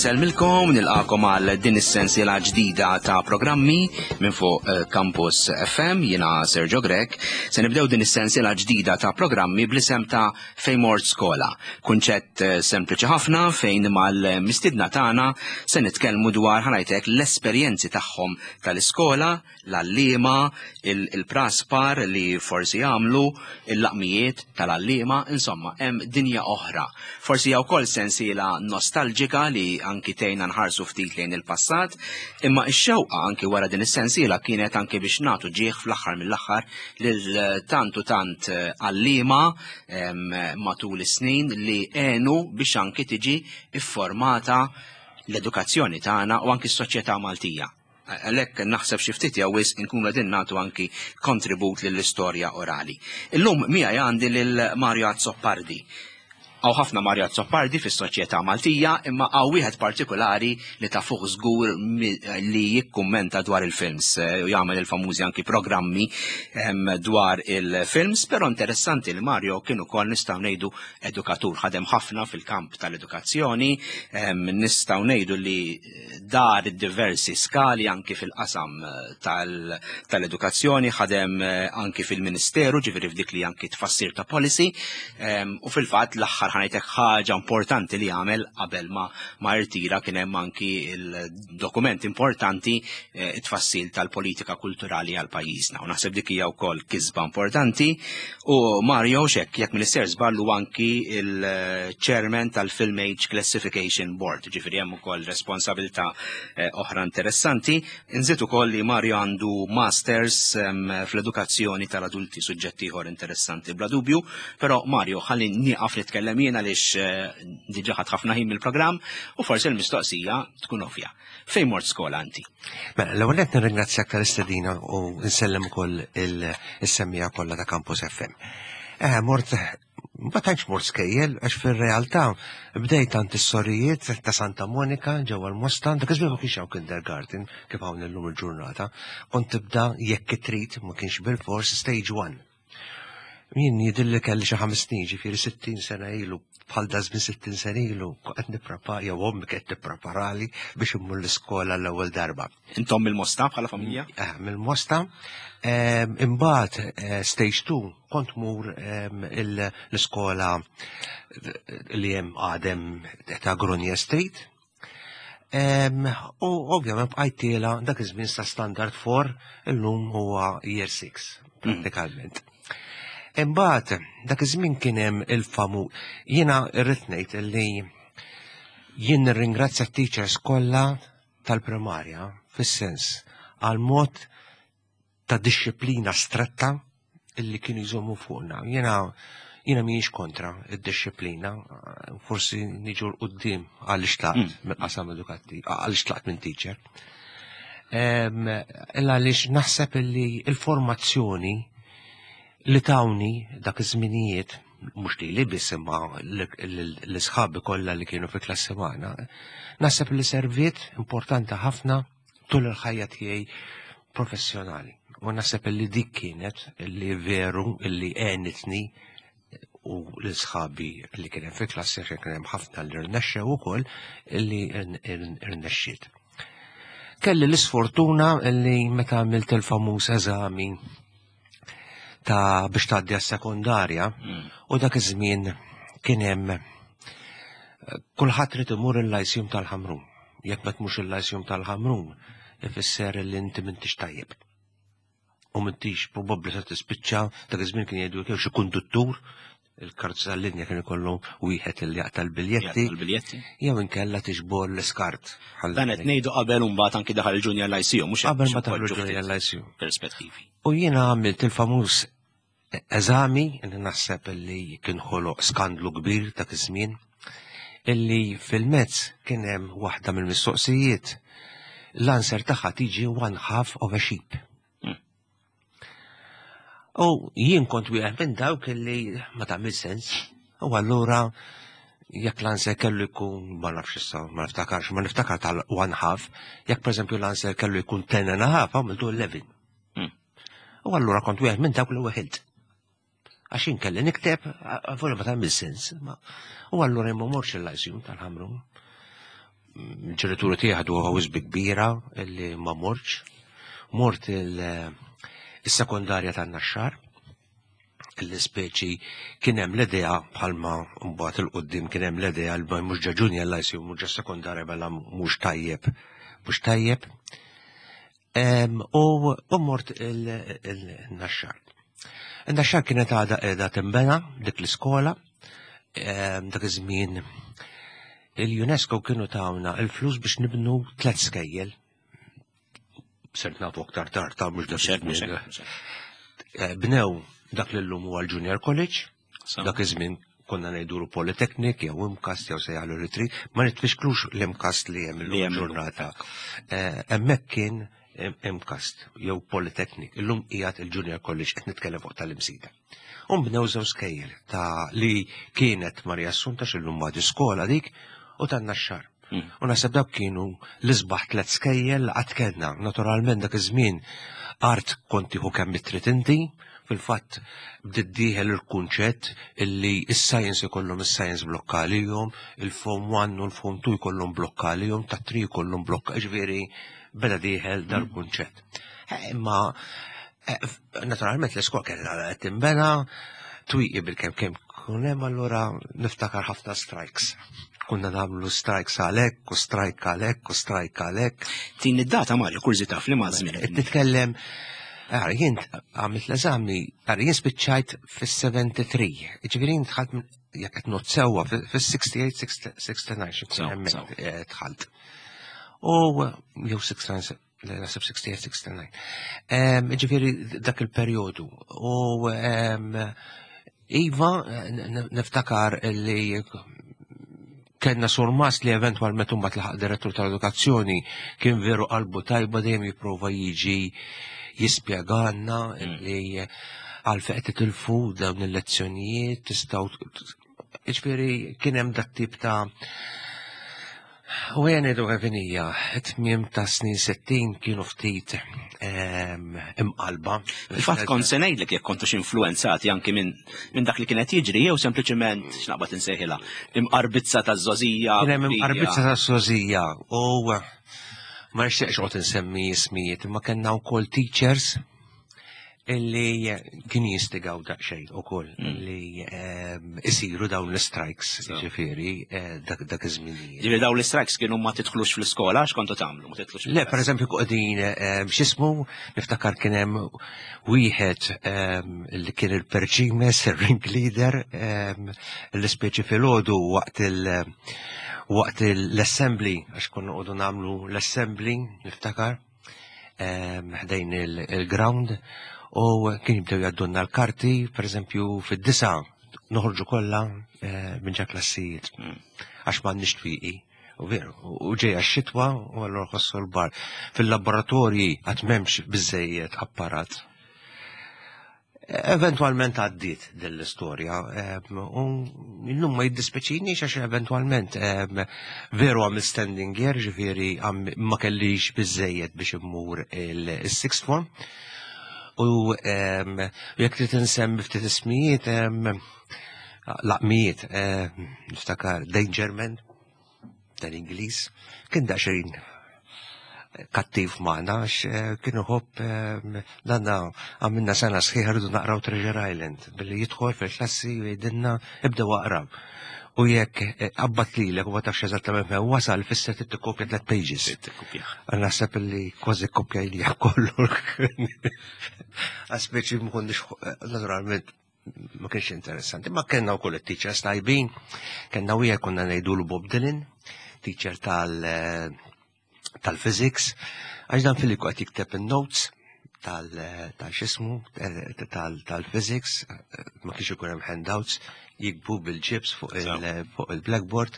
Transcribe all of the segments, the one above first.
Insellmilkom, nilqakom għal din is-sensiela ġdida ta' programmi minn fuq eh, Campus FM, jiena Sergio Grech. Se nibdew din is-sensiela ġdida ta' programmi bl-isem ta' Fejn Mort Skola. Kunċett eh, sempliċi ħafna fejn mal-mistidna tagħna se nitkellmu dwar ħanajtek l-esperjenzi tagħhom tal-iskola, l-għalliema, il-praspar li forsi jagħmlu, il-laqmijiet tal-għalliema, insomma, hemm dinja oħra. Forsi hija wkoll sensiela nostalġika li anki tgħinna nħarsu ftit lejn il-passat, imma x-xewqa anki wara din is-sensiela kienet anki biex nagħtu ġieħ fl-aħħar mill-aħħar lil tant u tant għalliema matul is-snin li għenu biex anki tiġi ifformata l-edukazzjoni tagħna u anki s-soċjetà Maltija. Għalhekk naħseb xi ftit jew wisq inkunu qegħdin nagħtu anki kontribut lill-istorja orali. Illum miegħi għandi lil Mario Azzopardi. Hawn ħafna Mario Azzopardi fis-soċjetà Maltija, imma hawn wieħed partikolari li ta' fuq żgur li jikkummenta dwar il-films eh, u jagħmel il-famużi anki programmi ehm, dwar il-films, però interessanti li Mario kien ukoll nistgħu ngħidu edukatur, ħadem ħafna fil-kamp tal-edukazzjoni, ehm, nistgħu ngħidu li dar diversi skali anki fil-qasam eh, tal-edukazzjoni, ħadem eh, anki fil-ministeru, ġifieri f'dik li anki tfassir ta' policy, ehm, u fil-fatt l-aħħar ħanajtek ħaġa importanti li għamel qabel ma ma irtira kien hemm anki il-dokument importanti eh, it-tfassil tal-politika kulturali għal pajjiżna. U naħseb dik hija wkoll kisba importanti U Mario xek, jekk minister żballu anki il-chairman tal-Film Age Classification Board, ġifieri hemm ukoll responsabilità eh, oħra interessanti. Nżid ukoll li Mario għandu masters ehm, fl-edukazzjoni tal-adulti, suġġett ieħor interessanti bla dubju, però Mario ħalli nieqaf nitkellem jien għaliex eh, diġà ħadd ħafna ħin mill-programm u forsi l-mistoqsija tkun ovvja. Fejn mort skola inti? Mela, l-ewwel qed nirringrazzjak tal-istedina u nsellem ukoll il-semmija kollha ta' Campus FM. Eh, mort ma tantx mort skejjel għax fir-realtà bdejt għand is-sorijiet ta' Santa Monika ġewwa l-Mosta, dak iż-żmien ma kienx hawn kindergarten kif hawn illum il-ġurnata. Kont tibda jekk trid ma kienx bil-fors stage one. Jien jidilli kelli xi ħames snin, ġifieri 60 sena ilu, bħal da żmien 60 sena ilu, qed nipprepara jew ommi qed tippreparali biex immur l-iskola l-ewwel darba. Intom mill-Mosta bħala familja? Eh, mill-Mosta. Ehm, imbagħad eh, stage 2 kont mur ehm, l-iskola li hemm għadem ta' Grunja Street. U ovvjament bqajt tiela dak iż-żmien sa standard 4 illum huwa year 6 prattikalment. Imbagħad dak iż-żmien kien hemm il-famu jiena rrid ngħid li jien nirringrazzja t-teachers kollha tal-primarja fis-sens għal mod ta' dixxiplina stretta illi kienu jżommu fuqna. Jena jiena mhijiex kontra id-dixxiplina, forsi niġu l-qoddim għaliex tlaqt mm. mill-qasam edukattiv, għaliex tlaqt minn teacher. Illa għaliex naħseb illi il-formazzjoni li tawni dak iż-żminijiet mhux li li biss imma l-isħabi kollha li kienu fi klassi magħna, naħseb li serviet importanti ħafna tul il-ħajja tiegħi professjonali. U naħseb li dik kienet li veru li għenitni u l-sħabi li kien hemm fil-klassi kien hemm ħafna li rnexxew ukoll li rnexxiet. Kelli l-isfortuna li meta għamilt il-famuż eżami ta' biex tgħaddi għas-sekondarja mm. u dak iż-żmien kien hemm eh, kulħadd trid imur il-lajsjum tal-Ħamrun. Jekk ma tmux il-lajsjum tal-Ħamrun, ifisser li inti m'intix tajjeb. U m'intix probabbli se tispiċċa dak iż-żmien kien jgħidu jew xi konduttur il-karti tal-linja kien ikollu wieħed li jaqta' l-biljetti. L-biljetti. Jew inkella tiġbor l-iskart. Dan qed ngħidu qabel imbagħad anki daħal il-Junior Lyceum, mhux qabel ma daħal il-Junior Lyceum. Perspettivi. U jiena għamilt il-famuż eżami li naħseb li kien ħoloq skandlu kbir dak iż-żmien illi fil-mezz kien hemm waħda mill-mistoqsijiet l-answer tagħha tiġi one half of a sheep. Hmm. U jien kont wieħed minn dawk illi ma tagħmel sens. U allura jekk l-answer kellu jkun ma nafx issa, ma niftakarx, ma niftakar tal one half, jekk pereżempju l-answer kellu jkun ten and a half, għamiltu 11. Hmm. U allura kont wieħed minn dawk li weħilt. Għax jien kelli nikteb, għavura ma tagħmel sens. U allura jien ma morx il-lajsjum tal-ħamrun. Ġenituri tiegħi ħaduha wisbi kbira li ma mortx. Mort il-sekondarja tan-Naxxar, li speċi kien hemm l-idea bħalma mbagħad il-qudiem kien hemm l-idea li mhux ġa junior lyceum mhux ġa sekondarja mela mhux tajjeb, mhux tajjeb. U mort il-Naxxar. Il-Naxxar kienet għadha qiegħda tinbena dik l-iskola, dak iż-żmien il-UNESCO kienu tawna il-flus biex nibnu tlet skejjel. Sirt nafu aktar tard ta' mhux dak iż-żmien. Bnew dak li llum huwa l-Junior College, dak iż-żmien konna ngħidulu Polytechnic jew MCAST jew sejjaħlu retreat, ma nitfixklux l-MCAST li hemm illum ġurnata. Hemmhekk kien MCAST jew Polytechnic, illum qiegħed il-Junior College qed nitkellem fuq tal-Imsida. U nbnew żewġ skejjel ta' li kienet Marija Assunta x'illum ma skola dik u tan-Naxxar. U naħseb dawk kienu l-isbaħ tliet skejjel li qatt kellna. Naturalment dak iż-żmien art kont tieħu kemm trid inti, fil-fatt bdiet dieħel il-kunċett illi is-science ikollhom is-science blokka għalihom, il-form 1 u l-form 2 jkollhom blokka għalihom, ta' 3 jkollhom blokka, ġifieri beda dieħel dal-kunċett. Imma naturalment l-iskola kellha qed tinbena, twieqi bil-kemm kemm kun hemm allura niftakar ħafna strikes. Kunna nagħmlu strikes għalhekk u strike għalhekk u strike għalhekk. Tin id-data Mario kurżità f'liema żmien. Qed nitkellem Ara, jien għamilt l-eżami, ara, jien spiċċajt fis-73, ġifieri jien dħalt jekk qed not sewwa fis-68, 69, xi Sew, hemmhekk, sew. dħalt. U jew 69, naħseb 68, 69. Ġifieri dak il-perjodu. U Iva, niftakar li kellna surmast li eventwalment imbagħad laħaq direttur tal-edukazzjoni kien veru qalbu tajba dejjem jipprova jiġi jispjegalna li għalfejn qed titilfu dawn il-lezzjonijiet tistgħu ġifieri kien hemm dat tip ta' U għen edu għevinija, tmiem ta' snin 60 kienu ftit imqalba. Fil-fatt kont se ngħidlek jekk kontux influenzati anki minn dak li kienet jiġri jew sempliċement x'naqbad insejħilha imqarbizza taż-żogħżija. Kien hemm imqarbizza taż-żogħżija u ma nixtieqx qgħod insemmi ismijiet, imma kellna wkoll teachers illi kien jistigaw daqsxejn ukoll li isiru dawn l-strikes, ġifieri dak iż-żminijiet. Ġifieri dawn l-strikes kienu ma tidħlux fl-iskola, x'kontu tagħmlu? Ma tidħlux Le, per eżempju, qegħdin x'ismu, niftakar kien hemm wieħed li kien il-perċimes, il-ring leader, l-ispeċi filgħodu waqt waqt l-assembly, għax konna qogħdu nagħmlu l-assembly, niftakar, ħdejn il-ground, u kien jibdew jgħaddunna l-karti, per eżempju, fid-9 noħorġu kollha minn ġa klassijiet, għax m'għandniex twieqi. U veru, u ġejja x-xitwa u allura ħossu l-bar. Fil-laboratorji għad m'hemmx biżejjed apparat. Eventualment għaddiet din l-istorja, u illum ma jiddispeċinix għax eventualment veru għamil standing year, ġifieri ma kellix biżejjed biex immur il-sixth form. U jekk trid insemmi ftit ismijiet, laqmijiet, niftakar Dangerman, tal-Ingliż, kien daqsxejn kattiv magħna għax kien iħobb danna għamilna sena sħiħa rridu naqraw Treasure Island billi jidħol fil-klassi u jgħidilna ibdew aqraw. U jekk qabbat lilek u ma tafx eżattament fejn wasal, fisser trid tikkopja tliet pages. Trid tikkopja. Naħseb li kważi kopja li kollu. Għaspeċi ma konniex naturalment ma kienx interessanti, ma kellna wkoll it-teachers tajbin, kellna wieħed konna ngħidulu Bob Dylan, teacher tal-physics, għax dan fil qed jikteb in-notes tal-xismu, tal-physics, ma kienx ikun hemm handouts, jikbu bil-ġibs fuq il-blackboard,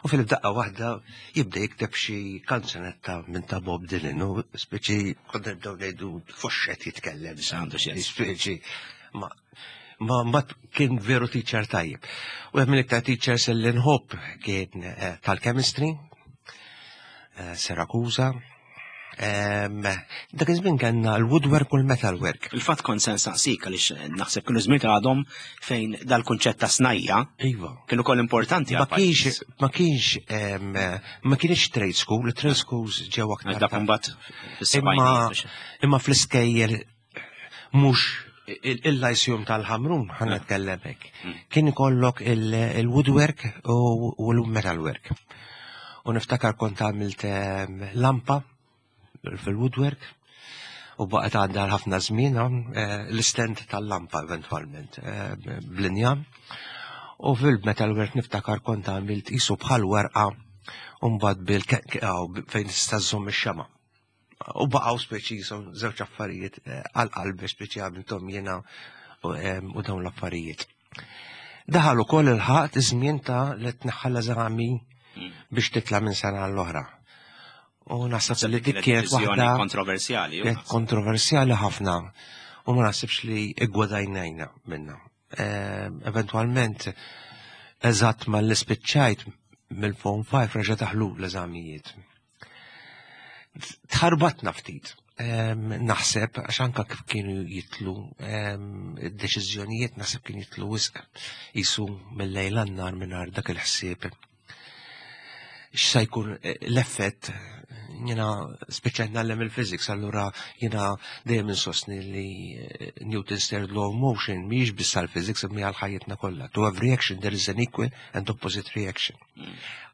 u fil-daqqa waħda jibda jikteb xi kanzunetta minn ta' Bob Dylan, u speċi konna nibdew ngħidu fuxxet jitkellem. Għandu xi. Speċi, ma kien veru teacher tajjeb. U hemm mill-iktar teachers li nħobb kien tal-chemistry, Siracusa. Dak iż-żmien kellna l-woodwork u l-metalwork. Il-fatt kont se nsaqsik għaliex naħseb kienu żmien għadhom fejn dal-kunċett ta' snajja. Iva. Kienu koll importanti Ma kienx ma kienx ma kienx trade school, trade schools ġew aktar. Dak imbagħad Imma imma fl-iskejjel mhux il-lajsjum tal-ħamrun ħan nitkellem hekk. Kien ikollok il-woodwork u l-metalwork. U niftakar kont għamilt lampa fil-woodwork u baqgħet għandha ħafna żmien eh, l-istent tal-lampa eventwalment eh, bl-injam. U fil-metalwork niftakar kont għamilt isu bħal werqa u mbagħad bil fejn tista' żżomm ix-xema. U baqgħu speċi jisom żewġ affarijiet eh, għal qalbi speċi għamilthom jiena u dawn l-affarijiet. Daħal ukoll il-ħaqt iż-żmien ta' li tneħħa l-eżami biex titla' minn sena għall-oħra. U naħseb li dik kienet waħda kontroversjali. Kienet kontroversjali ħafna u ma naħsibx li iggwadajnajna minna. Eventualment, eżatt ma l-ispiċċajt mill-Form 5 reġa' daħlu l-eżamijiet. Tħarbatna ftit. Naħseb, għax anka kif kienu jitlu, id-deċiżjonijiet naħseb kien jitlu wisq jisu mill-lejl għan-nar mingħajr dak il-ħsieb. X'sa jkun eh, l-effett jiena speċjal nagħllem il-physics, allura jiena dejjem insostni li eh, Newton's third law of motion mhijiex biss għall-physics imma għal ħajjitna kollha. To every action there is an equal and opposite reaction.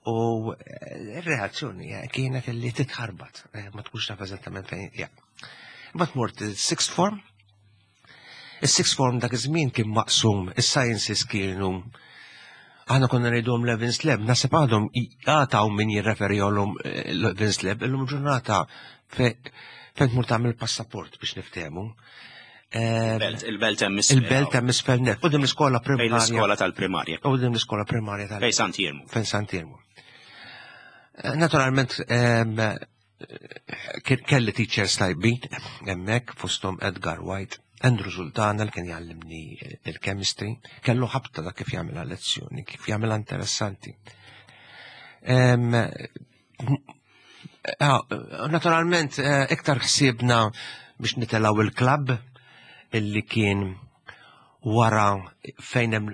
U eh, r-reazzjoni eh, kienet li titħarbat, eh, ma tkunx taf eżattament fejn hija. Imbagħad mort il-sixth form. Is-sixth form dak iż-żmien kien maqsum, is-sciences kienu aħna konna ngħidhom Levins Lab, naħseb għadhom għataw min jirreferihom Levins Lab, illum ġurnata fejn tmur tagħmel passaport biex niftehmu. Il-belt hemm isfel. Il-belt hemm isfel net. Qudiem l-iskola primarja. L-iskola tal-primarja. Qudiem l-iskola primarja tal. Fejn Sant'Iermu. Fejn Sant'Iermu. Eh, naturalment, eh, kelli teachers tajbin hemmhekk fosthom Edgar White, Andrew Sultana li kien jgħallimni il-chemistry, kellu ħabta da kif jagħmilha lezzjoni, kif jagħmilha interessanti. Ah, naturalment, eh, iktar ħsiebna biex nitelaw il-klab illi kien wara fejn hemm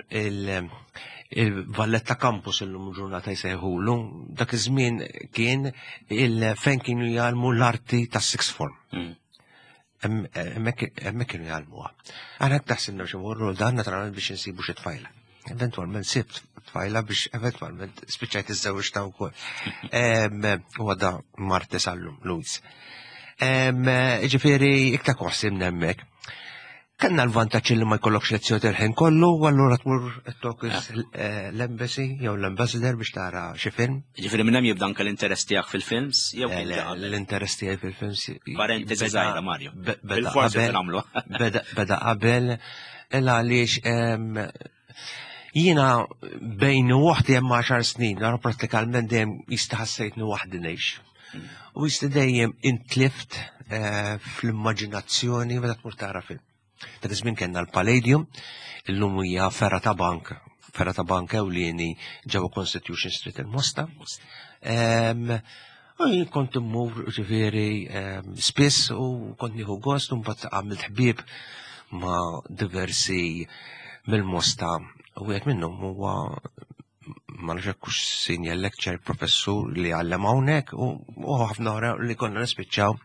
il-Valletta Campus illum ġurnata jsejħulu, dak iż-żmien kien il fejn kienu jgħallmu l-arti tas-sixth form. Hemmhekk kienu jgħallmuha. Aħna hekk taħsibna biex imorru dan naturalment biex insibu xi tfajla. Eventwalment sibt tfajla biex eventwalment spiċċajt iż-żewġ ta' wkoll. U għadha marti sallum, Luis. Ġifieri iktar koħsimna hemmhekk. Kellna l-vantaġġ li ma jkollokx lezzjoni il-ħin kollu, u allura tmur tokis eh, l-embassy jew l-ambassador biex tara xi film. Ġifieri minn hemm jibda anke l-interess tiegħek fil-films jew eh, L-interess tiegħi fil-films. Parentesi żgħira Mario. Bil-forsi nagħmlu. Beda qabel il għaliex jiena bejn waħdi hemm 10 snin, nara prattikalment dejjem jista' ħassejtni waħdi ngħix. U jista' dejjem intlift eh, fl-immaġinazzjoni meta tmur tara film. Dak iż-żmien kellna l-Palladium, illum hija ferra ta' bank, ferra ta' bank ewlieni ġewwa Constitution Street il-Mosta. U jien kont immur ġifieri spiss u kont nieħu gost u mbagħad għamilt ħbieb ma' diversi mill-Mosta u wieħed minnhom huwa ma nafx hekk hux senior lecture professur li għallem hawnhekk u ħafna oħra li konna nispiċċaw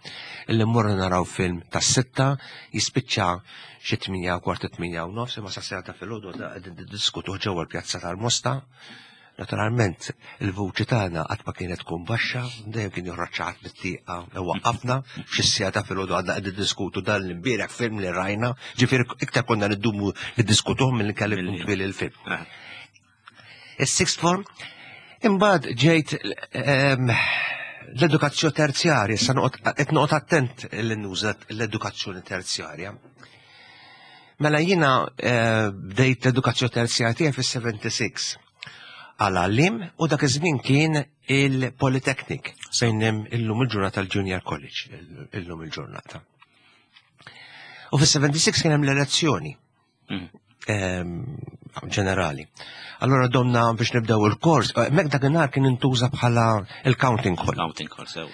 li mmorru naraw film tas-sitta jispiċċa xi tminja kwart tminja u nofs imma sa ta' filgħodu qegħdin niddiskutuh ġewwa l-pjazza tal-Mosta. Naturalment, il-vuċi tagħna qatt ma kienet tkun baxxa, dejjem kien joħroġ xi ħadd mit-tieqa u waqqafna f'xi siegħa ta' filgħodu għadna qegħdin diskutu dan l-imbieraħ film li rajna, ġifieri iktar konna niddumu niddiskutuh milli kelli jkun twil il-film. Eh. Is-sixth form, imbagħad ġejt ehm, l-edukazzjoni terzjarja, sa qed noqgħod attent li nuża l-edukazzjoni terzjarja. Mela jiena eh, bdejt l-edukazzjoni terzjarja tiegħi fis-76 għal għallim u dak iż-żmien kien il-Polytechnic fejn hemm illum il-ġurnata l-Junior College illum il-ġurnata. U fis-76 kien hemm l-elezzjoni. Mm. Ehm, ġenerali. Allora domna biex nibdew il-kors, eh, mek dakinhar kien intuża bħala il-counting hall. Counting hall, sew.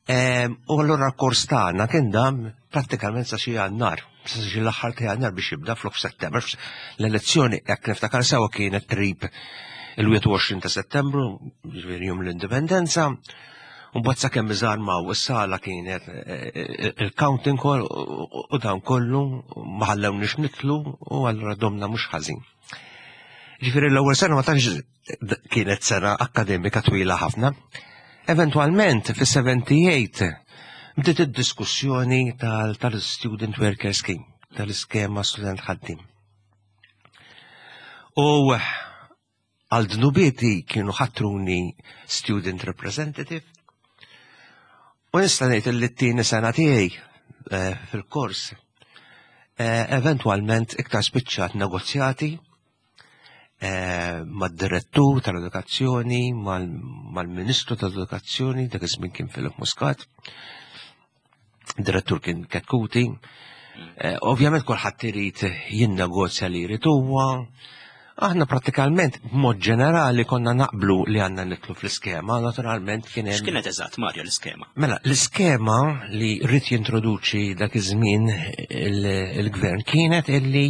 U allura l-kors tagħna kien dam prattikament sa xi Jannar, sa xi l-aħħar ta' Jannar biex jibda flok f'Settembru. L-elezzjoni jekk niftakar sewa kienet qrib il-21 ta' Settembru, ġifieri jum l-Indipendenza. U mbagħad sakemm iżarmaw is-sala kienet eh, eh, il-counting call u dan kollu ma ħallewniex nitlu u allura domna mhux ħażin. Ġifieri l-ewwel sena ma tantx kienet sena akkademika twila ħafna. Eventwalment fis-78 bdiet id-diskussjoni tal-Student Worker Scheme, tal-iskema student ħaddim. U għal dnubieti kienu ħatruni student representative. U nista' ngħid li t-tieni sena tiegħi eh, fil-kors eh, eventwalment iktar spiċċat negozjati eh, mad-direttur tal-edukazzjoni, mal-ministru tal-edukazzjoni, dak iż-żmien kien Philip Muscat, direttur kien Ketkuti. Eh, ovvjament kulħadd irid jinnegozja li jrid huwa. Aħna prattikalment b'mod ġenerali konna naqblu li għandna nitlu fl-iskema, naturalment kien hemm. X'kienet eżatt Mario l-iskema? Mela, l-iskema li rrid jintroduċi dak iż-żmien il-gvern kienet illi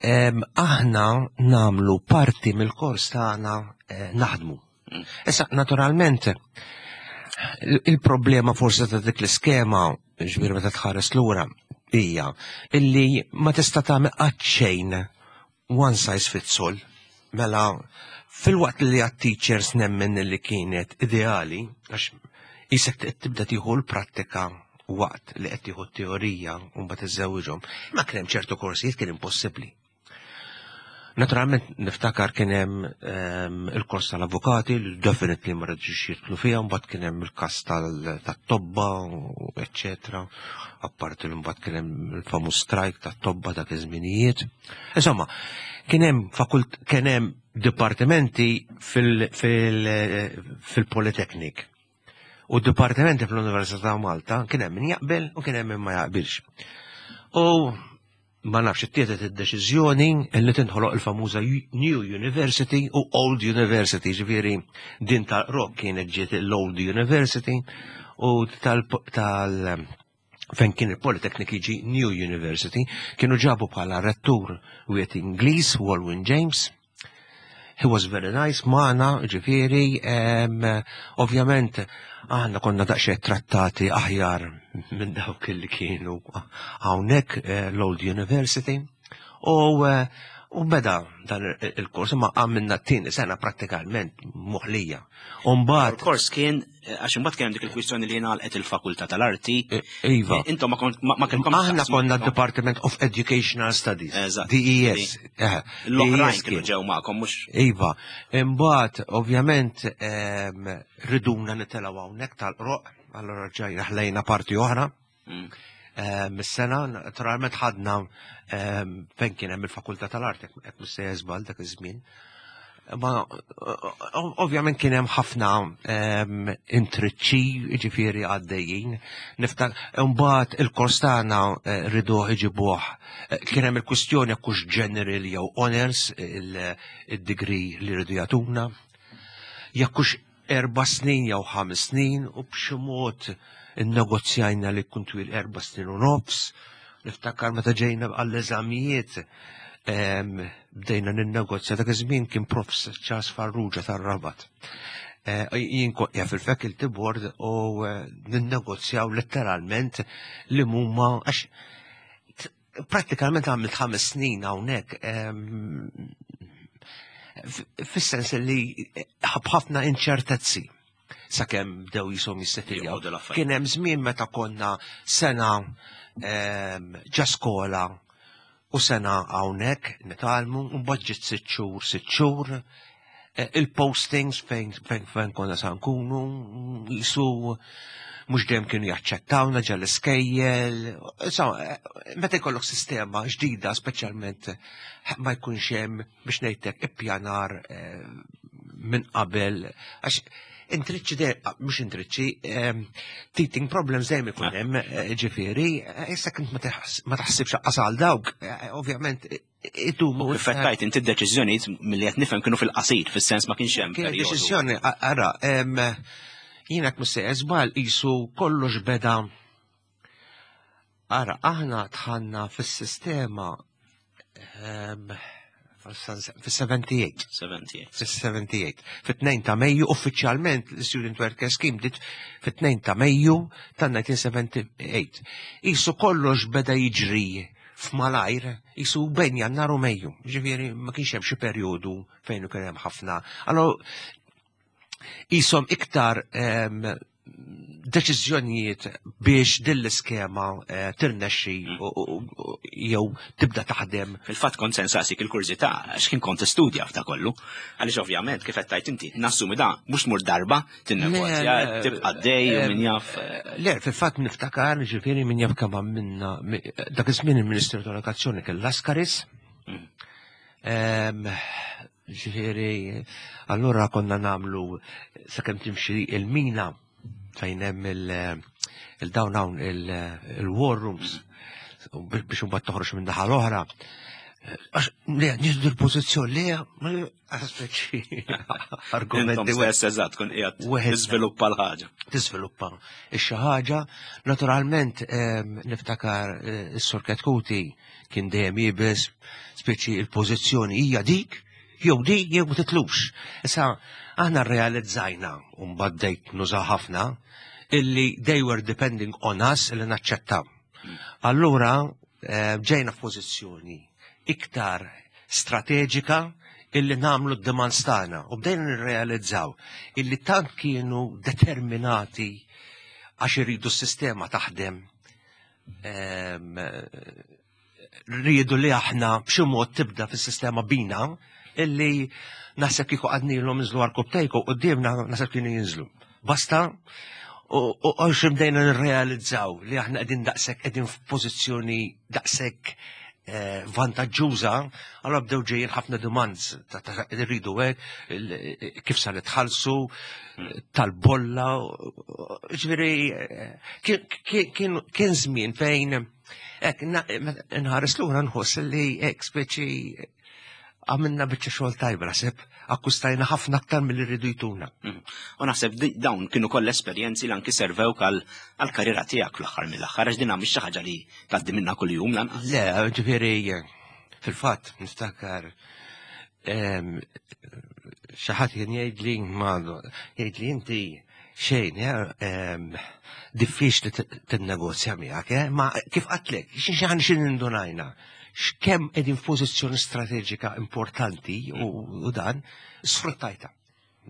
aħna namlu parti mill-kors tagħna eh, naħdmu. Mm. Issa, naturalment, il-problema forse ta' dik l-iskema, ġbir meta tħares lura, hija illi ma tista' tagħmel qatt xejn one size fits all. Mela, fil-waqt li għat-teachers nemmen li kienet ideali, għax jisek tibda tieħu l-prattika waqt li qed tieħu t-teorija u mbagħad iżżewwiġhom. Ma kien hemm ċertu korsijiet kien impossibbli. Naturalment niftakar kien hemm ehm, il-kors tal-avukati li definitely ma rridux jidħlu fiha, mbagħad kien hemm il-każ tat-tobba, eċċetera. Apparti li mbagħad kien hemm il-famuż strike tat-tobba dak iż-żminijiet. Insomma, kien hemm fakult kien hemm dipartimenti fil-Polytechnic U d-dipartimenti fl-Università ta' Malta kien hemm min jaqbel u kien hemm min ma jaqbilx. U ma nafx ittieħdet id-deċiżjoni li tinħoloq il-famuża New University u Old University, ġifieri din tal-Rock kienet ġiet l-Old University u tal, tal fejn kien il-Polytechnic jiġi New University, kienu ġabu bħala rettur wieħed Ingliż, Walwyn James. He was very nice magħna, ġifieri, ovvjament aħna konna daqsxejn trattati aħjar minn dawk li kienu hawnhekk eh, l-Old University. U eh, u beda dan il-kors ma għamilna t-tieni sena prattikalment moħlija. Umbagħad Il-kors kien għax imbagħad kien hemm dik il-kwistjoni li ngħalqet il-Fakultà tal-Arti. E, iva. E, intom ma kellkom Aħna konna Department of Educational Studies. DES. Eh, L-oħrajn kienu ġew magħkom mhux. Iva. Imbagħad ovvjament ehm, riduna nitelgħu hawnhekk tal-qroq, allura ġajna ħlejna parti oħra. Mm. Ehm, mis-sena, naturalment ħadna ehm, fejn kien hemm il-Fakultà tal-Arti, hekk mhux se jeżbal dak iż-żmien. Ma ovvjament kien hemm ħafna ehm, intriċċi ġifieri għaddejjin. Niftak imbagħad il-kors tagħna eh, riduh iġibuh. Eh, kien hemm il-kwistjoni jekk hux general jew honors il-degree li rridu jagħtuna. Jekk hux erba' snin jew ħames snin u b'xi mod innegozjajna li jkun twil erba' snin u nofs. Niftakar meta ġejna għall-eżamijiet bdejna ninnegozja dak iż-żmien kien Prof. Charles Farrugia tar-Rabat. Eh, jien kont fil-faculty board u eh, ninnegozjaw letteralment li mumma għax Prattikament għamilt ħames snin hawnhekk fis-sens li ħafna inċertezzi sakemm bdew jisom jissetiljaw. Kien hemm żmien meta konna sena ġa skola u sena hawnhekk nitgħallmu u mbagħad ġiet sitt xhur sitt xhur Eh, il-postings fejn fejn fejn konna sa nkunu jisu mhux dejjem kienu jaċċettawna ġa l-iskejjel. Insomma, eh, meta jkollok sistema ġdida speċjalment eh, ma jkunx hemm biex ngħidlek ippjanar minn qabel għax intriċċi dejjem ah, mhux intriċċi, teething problems dejjem ikun hemm ġifieri, issa kint ma taħsibx għal dawk, ovvjament Idumu. Kif qed tgħid inti d-deċiżjonijiet milli qed nifhem kienu fil-qasir, fis-sens ma kienx hemm. Kien deċiżjoni, ara, Jiena mhux żball qisu kollox beda. Ara, aħna dħalna fis-sistema fis-78. 78. Fis-78. Fit-2 ta' Mejju, uffiċjalment l-Student Worker Scheme bdiet fit-2 ta' Mejju tan-1978. Qisu kollox beda jiġri f'malajr, qisu bejn Jannar u Mejju. Ġifieri ma kienx hemm xi perjodu fejn kien hemm ħafna. Allora qishom iktar deċiżjonijiet biex din l-iskema tirnexxi jew tibda taħdem. Fil-fatt kont se nsaqsik il-kurżità x'kien kont tistudja f'da kollu. Għaliex ovvjament kif qed tgħid inti nassumi da mhux tmur darba tinnegozja, tibqa' dej u min jaf. Le, fil-fatt niftakar ġifieri min jaf kemm minna dak iż-żmien il-Ministru tal-Edukazzjoni kien Laskaris. Ġifieri, allura konna nagħmlu sakemm timxi il-mina fejn hemm il-dawn hawn il-war rooms biex imbagħad toħroġ minn naħa l-oħra. Għax le, nieħdu l-pożizzjoni le, speċi argumenti. Stess eżatt kun qiegħed tiżviluppa l-ħaġa. Tiżviluppa xi ħaġa. Naturalment niftakar is-Sur Ketkuti kien dejjem iebes, speċi il-pożizzjoni hija dik, jew dik jew ma titlux. Issa aħna rrealizzajna u mbagħad bdejt nuża ħafna illi they were depending on us illi naċċettaw. Allura ġejna f'pożizzjoni iktar strateġika illi nagħmlu d-demands tagħna u bdejna nirrealizzaw illi tant kienu determinati għax iridu s-sistema taħdem, rridu li aħna b'xi mod tibda fis-sistema bina illi naħseb kieku għednielhom inżlu għarkupptejkom quddiemna, naħseb kienu jinżlu. Basta u għax bdejna nirrealizzaw li aħna qegħdin daqshekk, qegħdin f'pożizzjoni daqshekk vantaġġuża, allura bdew ġejjin ħafna demands ta' rridu hekk, kif sa nitħallsu, tal-bolla, ġifieri kien żmien fejn hekk nħares lura nħoss li hekk speċi għamilna biċċa xogħol tajba, naħseb akkustajna ħafna aktar milli rridu jtuna. U naħseb dawn kienu koll esperjenzi li anki servewk għal-karriera tiegħek fl-aħħar mill-aħħar, għax din mhix xi ħaġa li tgħaddi minna kuljum lanqas. Le, ġifieri fil-fatt niftakar xi ħadd kien jgħidli ma jgħidli inti xejn, diffiċli tinnegozja miegħek, eh? Ma kif qatlek, xi xi indunajna x'kemm qegħdin f'pożizzjoni strateġika importanti u dan sfruttajta,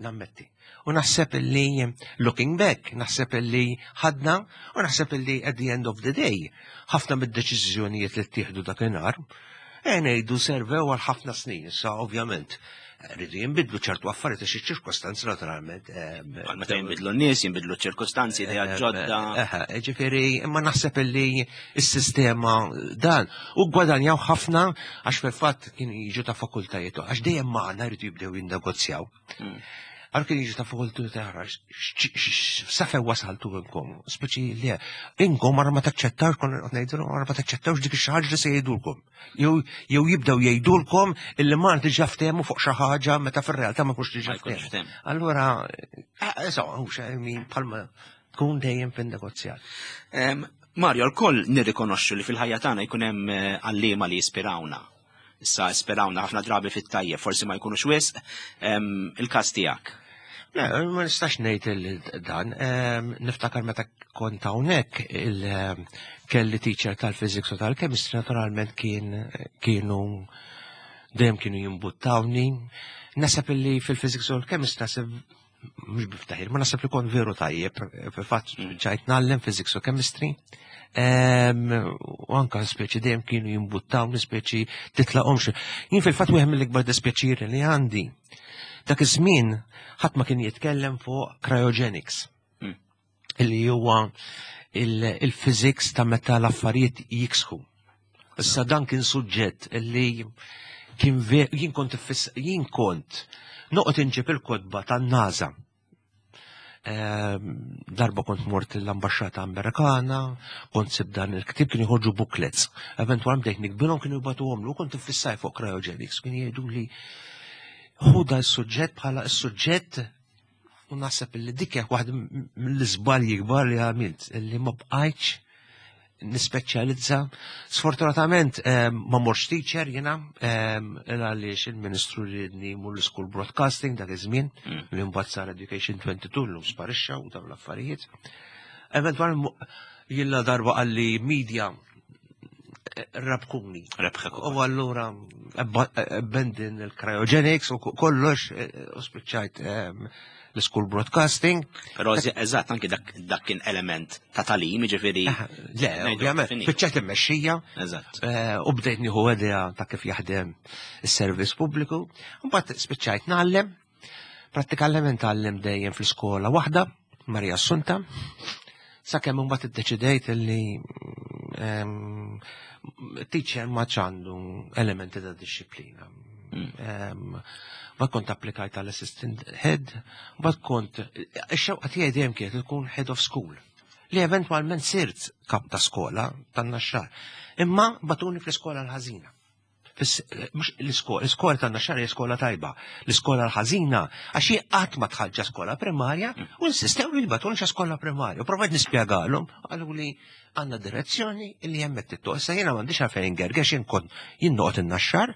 nammetti. U naħseb illi, looking back, naħseb illi ħadna u naħseb illi at the end of the day, ħafna mid-deċiżjonijiet li ttieħdu dakinhar, ngħidu servew għal ħafna snin, issa ovvjament rridu jinbidlu ċertu affarijiet għax iċ-ċirkostanzi naturalment. Meta jinbidlu n-nies, jinbidlu ċ-ċirkostanzi, idea ġodda. Ġifieri, imma naħseb illi s-sistema dan u gwadanjaw ħafna għax fil-fatt kienu jiġu ta' fakultajiet għax dejjem magħna jridu jibdew jinnegozjaw. Għal kien jiġu ta' fakultajiet oħra, sa fejn wasaltu inkom, speċi li inkom għara ma taċċettawx, konna qed ngħidu għara ma taċċettawx dik xi ħaġa li se jgħidulkom. Jew jibdew jgħidulkom illi ma diġà ftehmu fuq xi ħaġa meta fir-realtà ma jkunx diġà ftehmu. Allura, insomma, hux min bħalma tkun dejjem fin-negozjat. Mario, l-koll nirrikonoxxu li fil-ħajja tagħna jkun hemm għalliema li jispirawna. Issa jispirawna ħafna drabi fit-tajjeb, forsi ma jkunux wisq il-każ tiegħek. Le, ma nistax ngħid dan. Niftakar meta kont hawnhekk kelli teacher tal-physics u tal-chemistry, naturalment kien kienu dejjem kienu jimbuttawni. Naħseb illi fil-physics u l-chemistry, naħseb mhux biftaħir, ma naħseb li kont veru tajjeb, fil-fatt ġajt ngħallem physics u chemistry. U anka speċi dejjem kienu jimbuttawni, speċi titlaqhomx. Jien fil-fatt wieħed mill-ikbar dispjaċiri li għandi. Dak iż-żmien ħadd ma kien jitkellem fuq cryogenics. Illi huwa il-physics ta' meta l-affarijiet jiksħu. Issa dan kien suġġett illi kien jien kont noqgħod inġib il-kotba tan-NASA. Darba kont mort l-ambasċata Amerikana, kont sib dan il-ktib, kien jħorġu booklets. Eventualment bdejt nikbilhom, kienu jibagħtuhom lu, kont iffissaj fuq cryogenics, kien jgħidu li ħu da s-suġġett bħala s-suġġett. U naħseb li dik hija waħda mill-iżbalji kbar li għamilt, li ma bqajtx nispeċjalizza. Sfortunatament ma morx teacher jiena għaliex il-Ministru riedni mur l-School Broadcasting dak iż-żmien li mbagħad sar Education 22 llum sparixxa u dawn l-affarijiet. Eventwalment jilla darba qalli media rabkuni. Rebħek. U allura abandon il-cryogenics u kollox u spiċċajt l-school broadcasting. Però eżatt anki dak kien element ta' talim, ġifieri. Le, ovvjament, spiċċajt immexxija. Eżatt. U bdejt nieħu idea ta' kif jaħdem is-servizz pubbliku. Mbagħad spiċċajt ngħallem. Prattikament għallem dejjem fl-iskola waħda, Maria Assunta. Sakemm imbagħad iddeċidejt li teacher ma għandu elementi ta' disċiplina. Ma kont applikajt għal assistant head, ma kont, ix-xewqa tiegħi dejjem kienet tkun head of school. Li eventwalment sirt kap ta' skola tan-Naxxar. Imma bagħtuni fl-iskola l-ħażina. Mhux l-iskola, l-iskola tan-Naxxar hija skola tajba. L-iskola l-ħażina, għax jien qatt ma dħalt skola primarja u insistew li bagħtuni skola primarja. U provajt nispjegalhom, qalu li għandna direzzjoni li hemmhekk tittu. Issa jiena m'għandix għalfejn ingergex jien kont jien noqgħod in-Naxxar,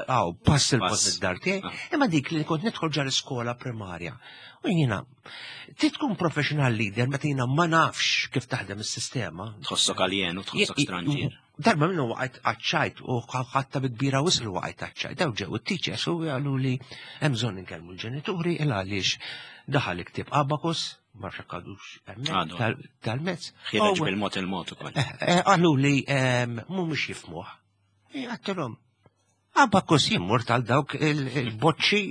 għaw, pass il-post id-dar tiegħi, imma dik li kont nidħol ġa l-iskola primarja. U jiena, trid tkun professional leader meta jiena ma nafx kif taħdem is-sistema. Tħossok alien u tħossok stranġier. Darba minnu waqajt għaċ-ċajt u ħatta bi kbira wisq li waqajt għaċ-ċajt. Daw ġew it-teachers u qalu li hemm bżonn inkellmu l-ġenituri il għaliex daħal iktib abacus, ma nafx jekk għadux hemmhekk tal-mezz. Ħiereġ bil-mod il-mod ukoll. Qalu li mhumiex jifhmuh. Għedtilhom, abacus jimmur tal dawk il-boċċi.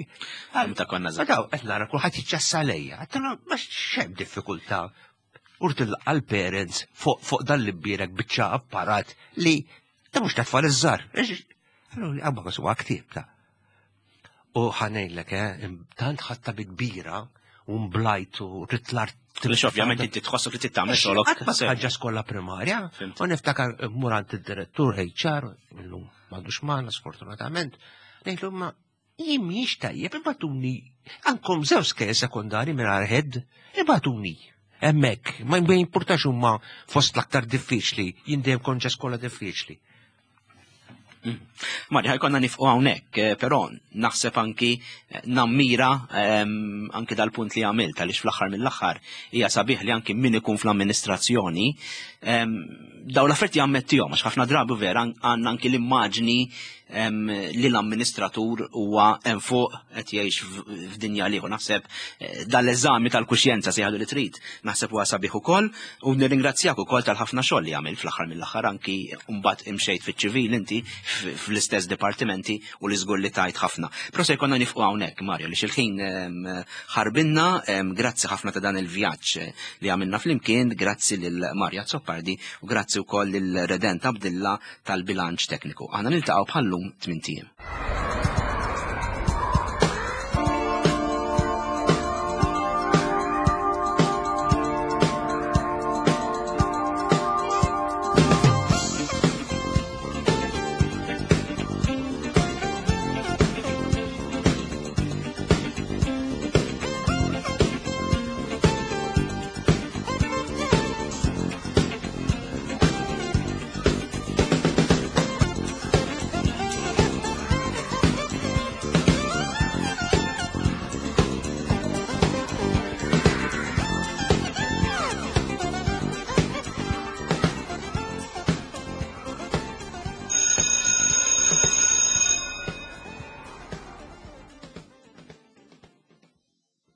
Meta konna żgħar. Daw qed nara kulħadd jiċċassa lejja. Għedtilhom ma x'hemm diffikultà. Urt il-parents fuq dan li bbierek biċċa apparat li ta' mhux ta' tfal iż-żgħar. Allura li abacus huwa ktieb ta' U ħa ngħidlek, tant ħadtha bi kbira u mblajt u ridt l-art. Biex ovvjament inti tħossok li titgħamel xogħolok. Qatt ma ħaġa skola primarja. U niftakar murant id-direttur HR, illum m'għadux magħna sfortunatament, ngħidlu ma jien mhijiex tajjeb ibagħtuni għandkom żewġ skejjel sekondari mingħajr head, ibagħtuni. Hemmhekk, ma jimpurtax huma fost l-aktar diffiċli, jien dejjem kont ġa skola diffiċli. Marja, ħa jkollna nieqfu hawnhekk, però naħseb anki nammira anki dal-punt li għamilt għaliex fl-aħħar mill-aħħar hija sabiħ li anki min ikun fl-amministrazzjoni daw l-affarijiet jammettihom għax ħafna drabi vera għandna anki l-immaġni li l-amministratur huwa hemm fuq qed jgħix f'dinja liħu. Naħseb dal-eżami tal-kuxjenza sejħadu li trid, naħseb huwa sabiħ ukoll u nirringrazzjak ukoll tal-ħafna xogħol li għamil fl-aħħar mill-aħħar anki mbagħad imxejt fiċ-ċivil inti fl-istess dipartimenti u li żgur li tajt ħafna. Però se jkollna nieqfu hawnhekk, Mario, li xil-ħin ħarbinna, grazzi ħafna ta' dan il-vjaġġ li għamilna flimkien, grazzi lil Mario Azzopardi u grazzi wkoll lil Redent Abdilla tal-bilanċ tekniku. Aħna niltaqgħu bħallum 8 ijiem.